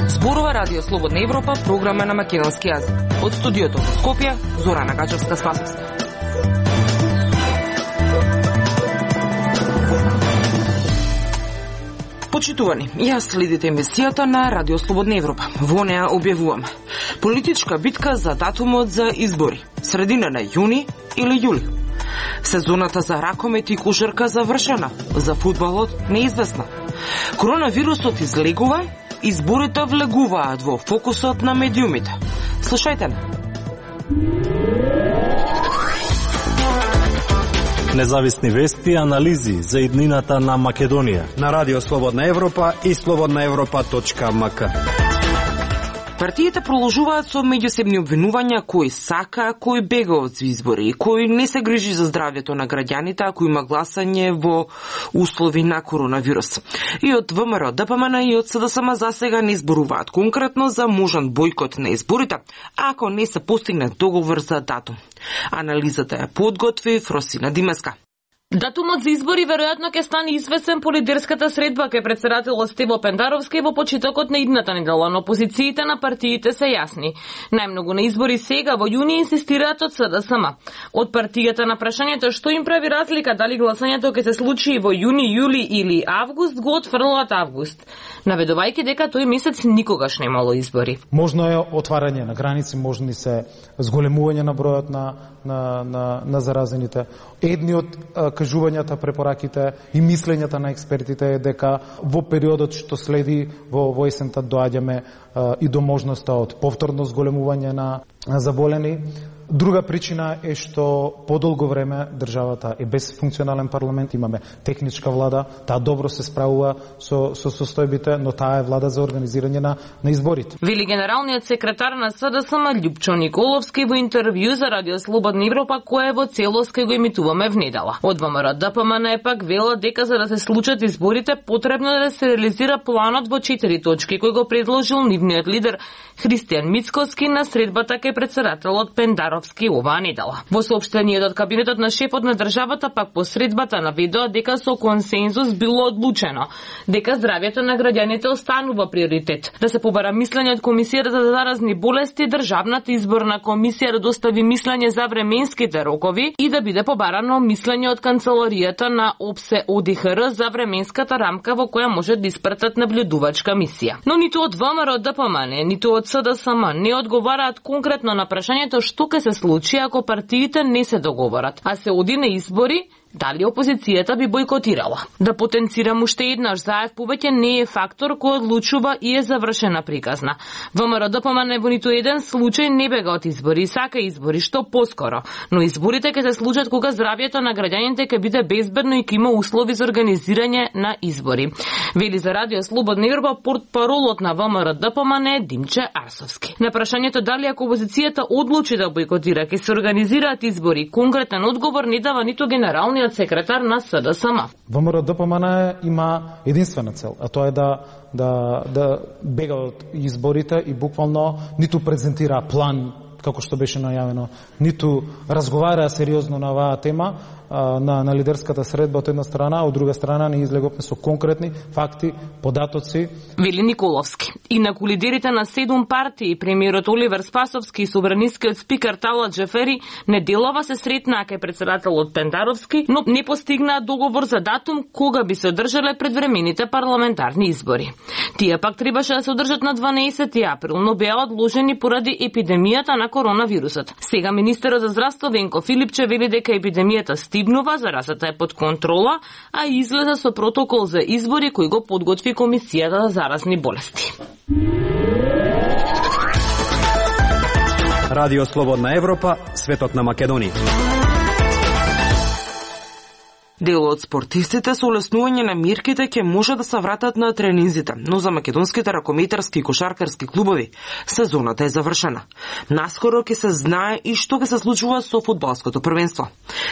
Зборува Радио Слободна Европа, програма на македонски јазик. Од студиото во Скопје, Зорана Гаџевска-Спасовска. Почитувани, јас следите емисијата на Радио Слободна Европа. Во неа објавуваме политичка битка за датумот за избори, средина на јуни или јули. Сезоната за ракомет и кошарка завршена, за фудбалот неизвестна. Коронавирусот излегува, изборите влегуваат во фокусот на медиумите. Слушајте не. Независни вести и анализи за иднината на Македонија на Радио Слободна Европа и slobodnaevropa.mk. Партиите продолжуваат со меѓусебни обвинувања кој сака, кој бега од избори, кој не се грижи за здравјето на граѓаните ако има гласање во услови на коронавирус. И од ВМРО, ДПМН и од СДСМ засега не зборуваат конкретно за можен бојкот на изборите, ако не се постигне договор за датум. Анализата ја подготви Фросина Димеска. Датумот за избори веројатно ќе стане известен по лидерската средба кај претседателот Стево Пендаровски во почетокот на идната недела, но позициите на партиите се јасни. Најмногу на избори сега во јуни инсистираат од СДСМ. Од партијата на прашањето што им прави разлика дали гласањето ќе се случи во јуни, јули или август, го отфрлаат август, наведувајќи дека тој месец никогаш немало избори. Можно е отварање на граници, можни се зголемување на бројот на заразените. Едни од кажувањата, препораките и мислењата на експертите е дека во периодот што следи во есента доаѓаме и до можноста од повторно зголемување на заболени. Друга причина е што подолго време државата е без функционален парламент, имаме техничка влада, таа добро се справува со состојбите, но таа е влада за организирање на изборите. Вели генералниот секретар на СДСМ Љупчо Николовски во интервју за Радио Слободна Европа, кое во целост ќе го емитуваме внедела. Од ВМРО ДПМН е пак вела дека за да се случат изборите потребно е да се реализира планот во 4 точки кој го предложил нивниот лидер Христијан Мицкоски на средбата кај претседателот Пендаровски оваа недела. Во соопштението од кабинетот на шефот на државата пак по средбата наведоа дека со консензус било одлучено дека здравјето на граѓаните останува приоритет. Да се побара мислење од Комисијата за заразни болести, Државната изборна комисија да достави мислење за временските рокови и да биде побарано мислење од канцеларијата на ОПСЕ ОДИХР за временската рамка во која може да испратат наблюдувачка мисија. Но ниту од ВМРО ДПМН, ниту од СДСМ не одговараат конкретно на прашањето што ќе се случи ако партиите не се договорат, а се оди на избори. Дали опозицијата би бојкотирала? Да потенцирам уште еднаш, ЗАЕВ повеќе не е фактор кој одлучува и е завршена приказна. ВМРО ДПМН во ниту еден случај не бега од избори, сака избори што поскоро, но изборите ќе се случат кога здравјето на граѓаните ќе биде безбедно и ќе има услови за организирање на избори. Вели за Радио Слободна Европа портпаролот на ВМРО ДПМН Димче Арсовски. На прашањето дали ако опозицијата одлучи да бојкотира ќе се организираат избори, конкретен одговор не дава ниту генералниот секретар на СДСМ. ВМРО ДПМН има единствена цел, а тоа е да бега од изборите и буквално ниту презентира план како што беше најавено, ниту разговара сериозно на оваа тема на лидерската средба од една страна, од друга страна не излеговме со конкретни факти, податоци. Вели Николовски. Инаку лидерите на 7 партии, премиерот Оливер Спасовски и собранискиот спикер Талат Джефери неделава се сретнаа кај претседателот Пендаровски, но не постигнаа договор за датум кога би се одржале предвремените парламентарни избори. Тие пак требаше да се одржат на 12 април, но беа одложени поради епидемијата на коронавирусот. Сега министерот за здравство Венко Филипче вели дека епидемијата стигнува, заразата е под контрола, а излеза со протокол за избори кој го подготви Комисијата за заразни болести. Радио Слободна Европа, светот на Македонија. Дел од спортистите со олеснување на мерките ќе може да се вратат на тренинзите, но за македонските ракометарски и кошаркарски клубови сезоната е завршена. Наскоро ќе се знае и што ќе се случува со фудбалското првенство.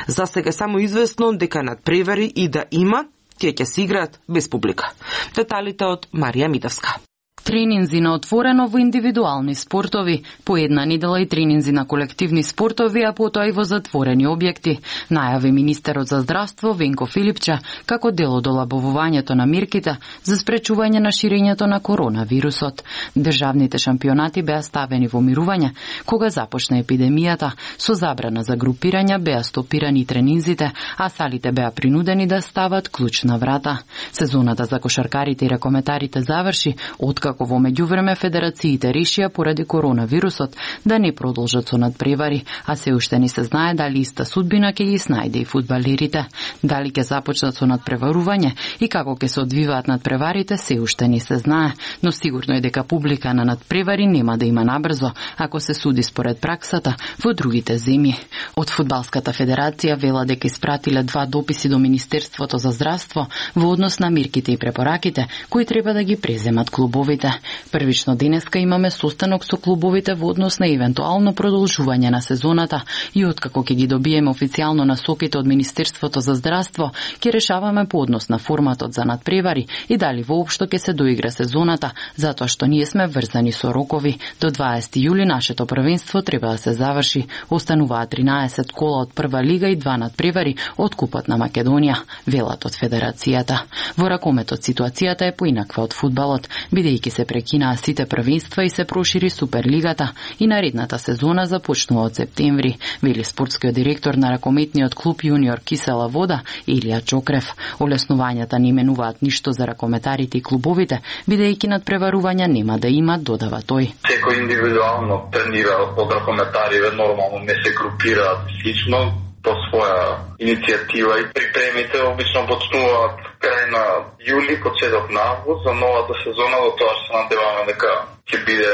За сега само известно дека надпревари и да има, тие ќе се играат без публика. Деталите од Марија Митевска. Тренинзи на отворено во индивидуални спортови, по една недела и тренинзи на колективни спортови, а потоа и во затворени објекти, најави министерот за здравство Венко Филипча како дел од олабавувањето на мерките за спречување на ширењето на коронавирусот. Државните шампионати беа ставени во мирување кога започна епидемијата, со забрана за групирања беа стопирани тренинзите, а салите беа принудени да стават клуч на врата. Сезоната за кошаркарите и ракометарите заврши, откако во меѓувреме федерациите решија поради коронавирусот да не продолжат со надпревари, а се уште не се знае дали иста судбина ќе ги снајде и фудбалерите. Дали ќе започнат со надпреварување и како ќе се одвиваат надпреварите се уште не се знае, но сигурно е дека публика на надпревари нема да има набрзо, ако се суди според праксата во другите земји. Од Фудбалската федерација вела дека испратиле 2 дописи до Министерството за здравство во однос на мерките и препораките кои треба да ги преземат клубовите. Првично денеска имаме состанок со клубовите во однос на евентуално продолжување на сезоната и откако ќе ги добиеме официјално насоките од Министерството за здравство, ќе решаваме по однос на форматот за надпревари и дали воопшто ќе се доигра сезоната, затоа што ние сме врзани со рокови. До 20 јули нашето првенство треба да се заврши. Остануваат 13 кола од прва лига и 2 надпревари од Купот на Македонија, велат од федерацијата. Во ракометот ситуацијата е поинаква од фудбалот, бидејќи се прекинаа сите првенства и се прошири Суперлигата и наредната сезона започнува од септември, вели спортскиот директор на ракометниот клуб Јуниор Кисела Вода Илија Чокрев. Олеснувањата не менуваат ништо за ракометарите и клубовите, бидејќи надпреварувања нема да има, додава тој. Секој индивидуално тренира од ракометариве, нормално не се групираат слично по своја иницијатива и припремите обично почнуваат крај на јули, почеток на август за новата сезона, до тоа што се надеваме дека ќе биде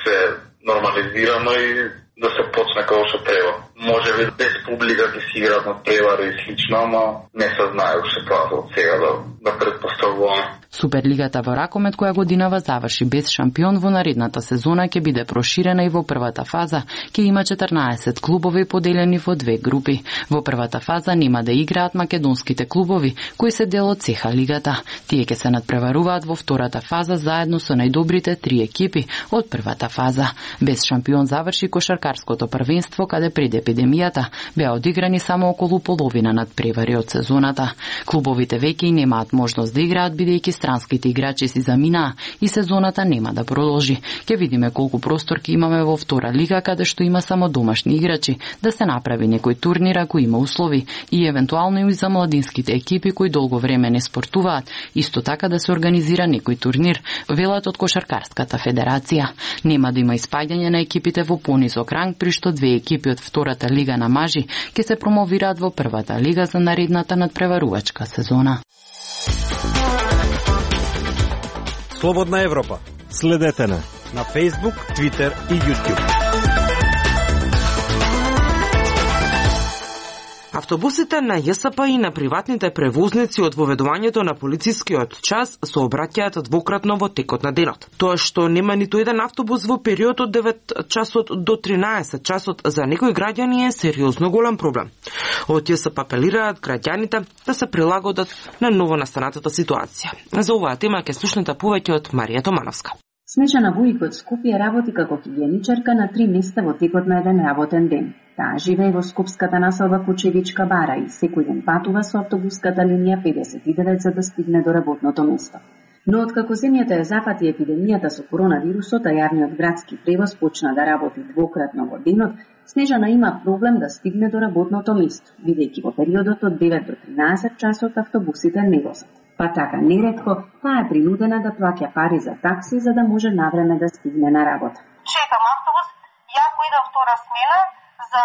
се нормализирано и да се почне како што треба. Може би без публика ќе си играат надпревари и слично, ама не се знае уште тоа од сега да претпоставуваме. Суперлигата во ракомет која годинава заврши без шампион во наредната сезона ќе биде проширена и во првата фаза ќе има 14 клубови поделени во 2 групи. Во првата фаза нема да играат македонските клубови кои се дел од ЦХ лигата. Тие ќе се надпреваруваат во втората фаза заедно со најдобрите 3 екипи од првата фаза. Без шампион заврши кошаркарското првенство каде пред епидемијата беа одиграни само околу половина надпревари од сезоната. Клубовите веќе немаат можност да играат бидејќи странските играчи си заминаа и сезоната нема да продолжи. Ќе видиме колку простор ќе имаме во втора лига каде што има само домашни играчи, да се направи некој турнир ако има услови и евентуално и за младинските екипи кои долго време не спортуваат, исто така да се организира некој турнир, велат од Кошаркарската федерација. Нема да има испаѓање на екипите во понизок ранг, при што 2 екипи од втората лига на мажи ќе се промовираат во првата лига за наредната надпреварувачка сезона. Слободна Европа. Следете на Facebook, Twitter и YouTube. Автобусите на ЈСП и на приватните превозници од воведувањето на полицискиот час се обраќаат двократно во текот на денот. Тоа што нема ниту еден автобус во период од 9 часот до 13 часот за некои граѓани е сериозно голем проблем. Од ЈСП апелираат граѓаните да се прилагодат на новонастанатата ситуација. За оваа тема ќе слушнете повеќе од Марија Томановска. Снежана Вујк од Скопје работи како хигиеничарка на 3 места во текот на еден работен ден. Таа живее во скопската населба Кучевичка бара и секој ден патува со автобуската линија 59 за да стигне до работното место. Но откако земјата ја запати епидемијата со коронавирусот, а јавниот градски превоз почна да работи двократно во денот, Снежана има проблем да стигне до работното место, бидејќи во периодот од 9 до 13 часот автобусите не возат. Па така, неретко, таа е принудена да плаќа пари за такси за да може навреме да стигне на работа. Чекам автобус, јако идам втора смена, за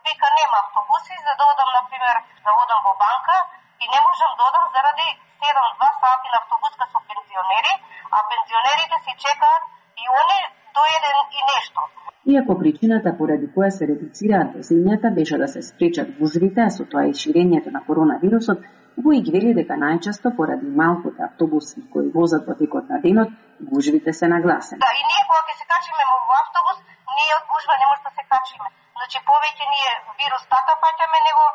вика нема автобуси, за да одам, например, да одам во банка и не можам да одам заради 7-2 сати на автобуска со пензионери, а пензионерите си чекаат и они до 1 и нешто. Иако причината поради која се редуцираат возењата беше да се спречат гужвите, а со тоа и ширењето на коронавирусот, Вујк вели дека најчесто поради малкото автобуси кои возат во текот на денот, гужвите се нагласени. Да, и ние кога ќе се качиме во автобус, ние од гужва не може да се качиме. Значи повеќе ние вирус така паќаме него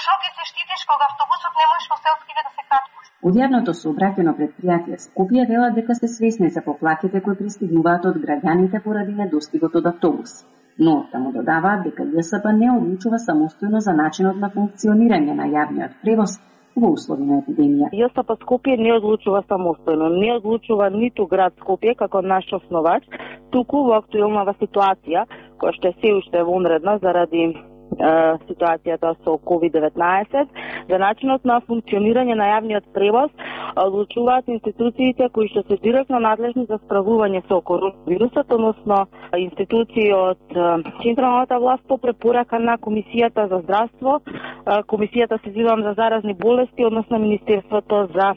што ќе се штитиш кога автобусот не можеш во селскиве да се качи. Од јавното сообраќајно предпријатие Скопје велат дека се свесни за поплаките кои пристигнуваат од граѓаните поради недостигот од автобус. Но таму додаваат дека ЈСП не одлучува самостојно за начинот на функционирање на јавниот превоз во услови на епидемија. ЈСП Скопје не одлучува самостојно, не одлучува ниту град Скопје како наш основач, туку во актуелнава ситуација, која што е се уште вонредна заради ситуацијата со COVID-19, за начинот на функционирање на јавниот превоз одлучуваат институциите кои што се директно надлежни за справување со коронавирусот, односно институции од централната власт по препорака на Комисијата за здравство, Комисијата за заразни болести, односно Министерството за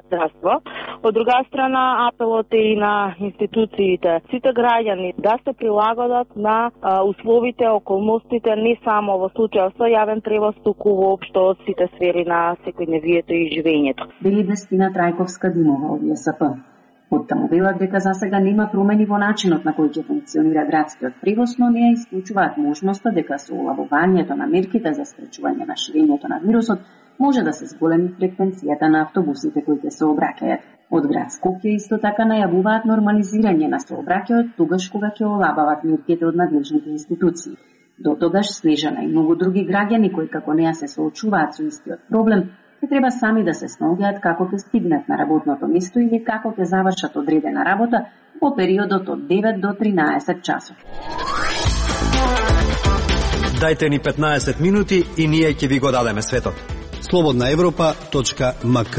здравство. Од друга страна, апелот е и на институциите, сите граѓани да се прилагодат на условите, околностите, не само во случај со јавен превоз, туку воопшто од сите сфери на секојдневието и живењето. Вели Вестина Трајковска Димова од ЈСП. Оттаму велат дека засега нема промени во начинот на кој ќе функционира градскиот превоз, но не исклучуваат можноста дека со улавувањето на мерките за спречување на ширењето на вирусот може да се зголеми фреквенцијата на автобусите кои ќе се обраќаат. Од град Скопје исто така најавуваат нормализирање на сообраќајот тогаш кога ќе олабават мерките од надлежните институции. До тогаш Снежана и многу други граѓани кои како неа се соочуваат со истиот проблем, ќе треба сами да се снаоѓаат како ќе стигнат на работното место или како ќе завршат одредена работа во периодот од 9 до 13 часот. Дајте ни 15 минути и ние ќе ви го дадеме светот. slobodnaevropa.mk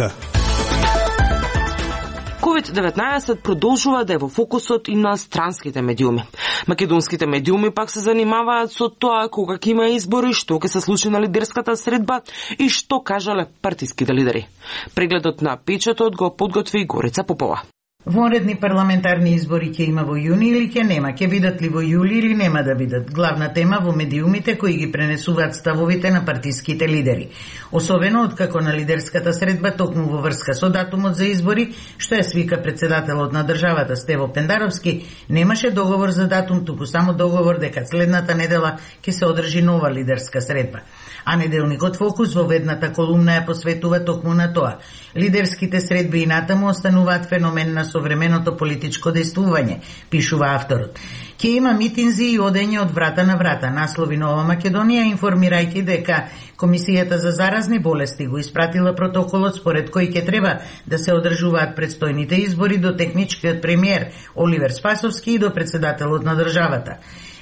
COVID-19 продолжува да е во фокусот и на странските медиуми. Македонските медиуми пак се занимаваат со тоа кога ќе има избори, што ќе се случи на лидерската средба и што кажале партиските лидери. Прегледот на печатот го подготви Горица Попова. Вонредни парламентарни избори ќе има во јуни или ќе нема? Ќе бидат ли во јули или нема да бидат? Главна тема во медиумите кои ги пренесуваат ставовите на партиските лидери. Особено откако на лидерската средба токму во врска со датумот за избори, што ја свика председателот на државата Стево Пендаровски, немаше договор за датум, туку само договор дека следната недела ќе се одржи нова лидерска средба. А неделникот Фокус во ведната колумна ја посветува токму на тоа. Лидерските средби и натаму остануваат феномен на современото политичко действување, пишува авторот. Ќе има митинзи и одење од врата на врата, наслови Нова Македонија, информирајќи дека Комисијата за заразни болести го испратила протоколот според кој ќе треба да се одржуваат предстојните избори до техничкиот премиер Оливер Спасовски и до председателот на државата.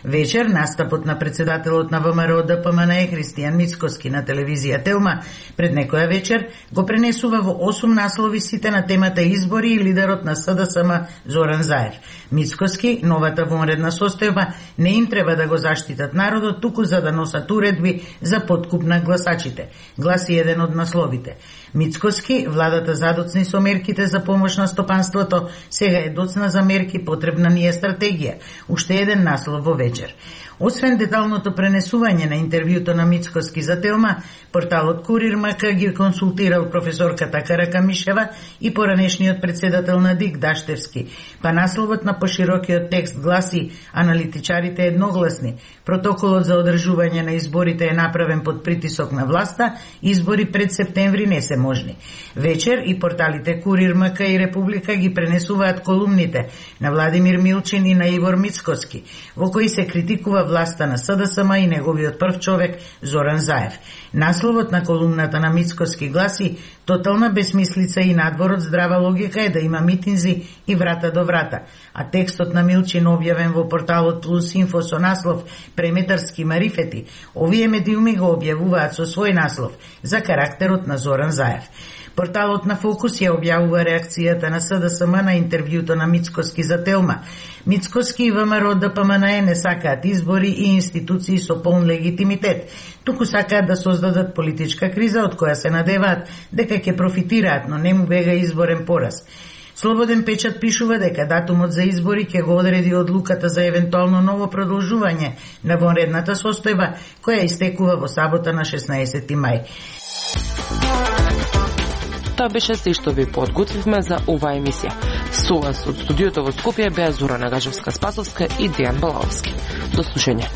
Вечер настапот на председателот на ВМРО ДПМН Христијан Мицкоски на телевизија Телма пред некоја вечер го пренесува во 8 наслови сите на темата избори и лидерот на СДСМ Зоран Заев. Мицкоски, новата вонредна состојба не им треба да го заштитат народот, туку за да носат уредби за подкуп на гласачите, гласи еден од насловите. Мицкоски, владата задоцни со мерките за помош на стопанството, сега е доцна за мерки, потребна ни е стратегија. Уште еден наслов во вечер. Освен деталното пренесување на интервјуто на Мицкоски за Телма, порталот Курир МК ги консултирал професорката Каракамишева и поранешниот председател на ДИК Даштевски. Па насловот на поширокиот текст гласи: аналитичарите едногласни. Протоколот за одржување на изборите е направен под притисок на власта, избори пред септември не се можни. Вечер и порталите Курир МК и Република ги пренесуваат колумните на Владимир Милчин и на Ивор Мицкоски, во кои се критикува власта на СДСМ и неговиот прв човек Зоран Заев. Насловот на колумната на Мицкоски гласи: тотална безмислица и надвор од здрава логика е да има митинзи и врата до врата. А текстот на Милчин објавен во порталот Плюс Инфо со наслов Преметарски марифети, овие медиуми го објавуваат со свој наслов за карактерот на Зоран Заев. Порталот на Фокус ја објавува реакцијата на СДСМ на интервјуто на Мицкоски за Телма. Мицкоски и ВМРО ДПМН не сакаат избори и институции со полн легитимитет, туку сакаат да создадат политичка криза од која се надеваат дека ќе профитираат, но не му бега изборен пораз. Слободен печат пишува дека датумот за избори ќе го одреди одлуката за евентуално ново продолжување на вонредната состојба, која истекува во сабота на 16 мај. Тоа беше се што ви подготвивме за оваа емисија. Со вас од студиото во Скопје беа Зора Нагажевска-Спасовска и Дејан Балаовски. До слушање.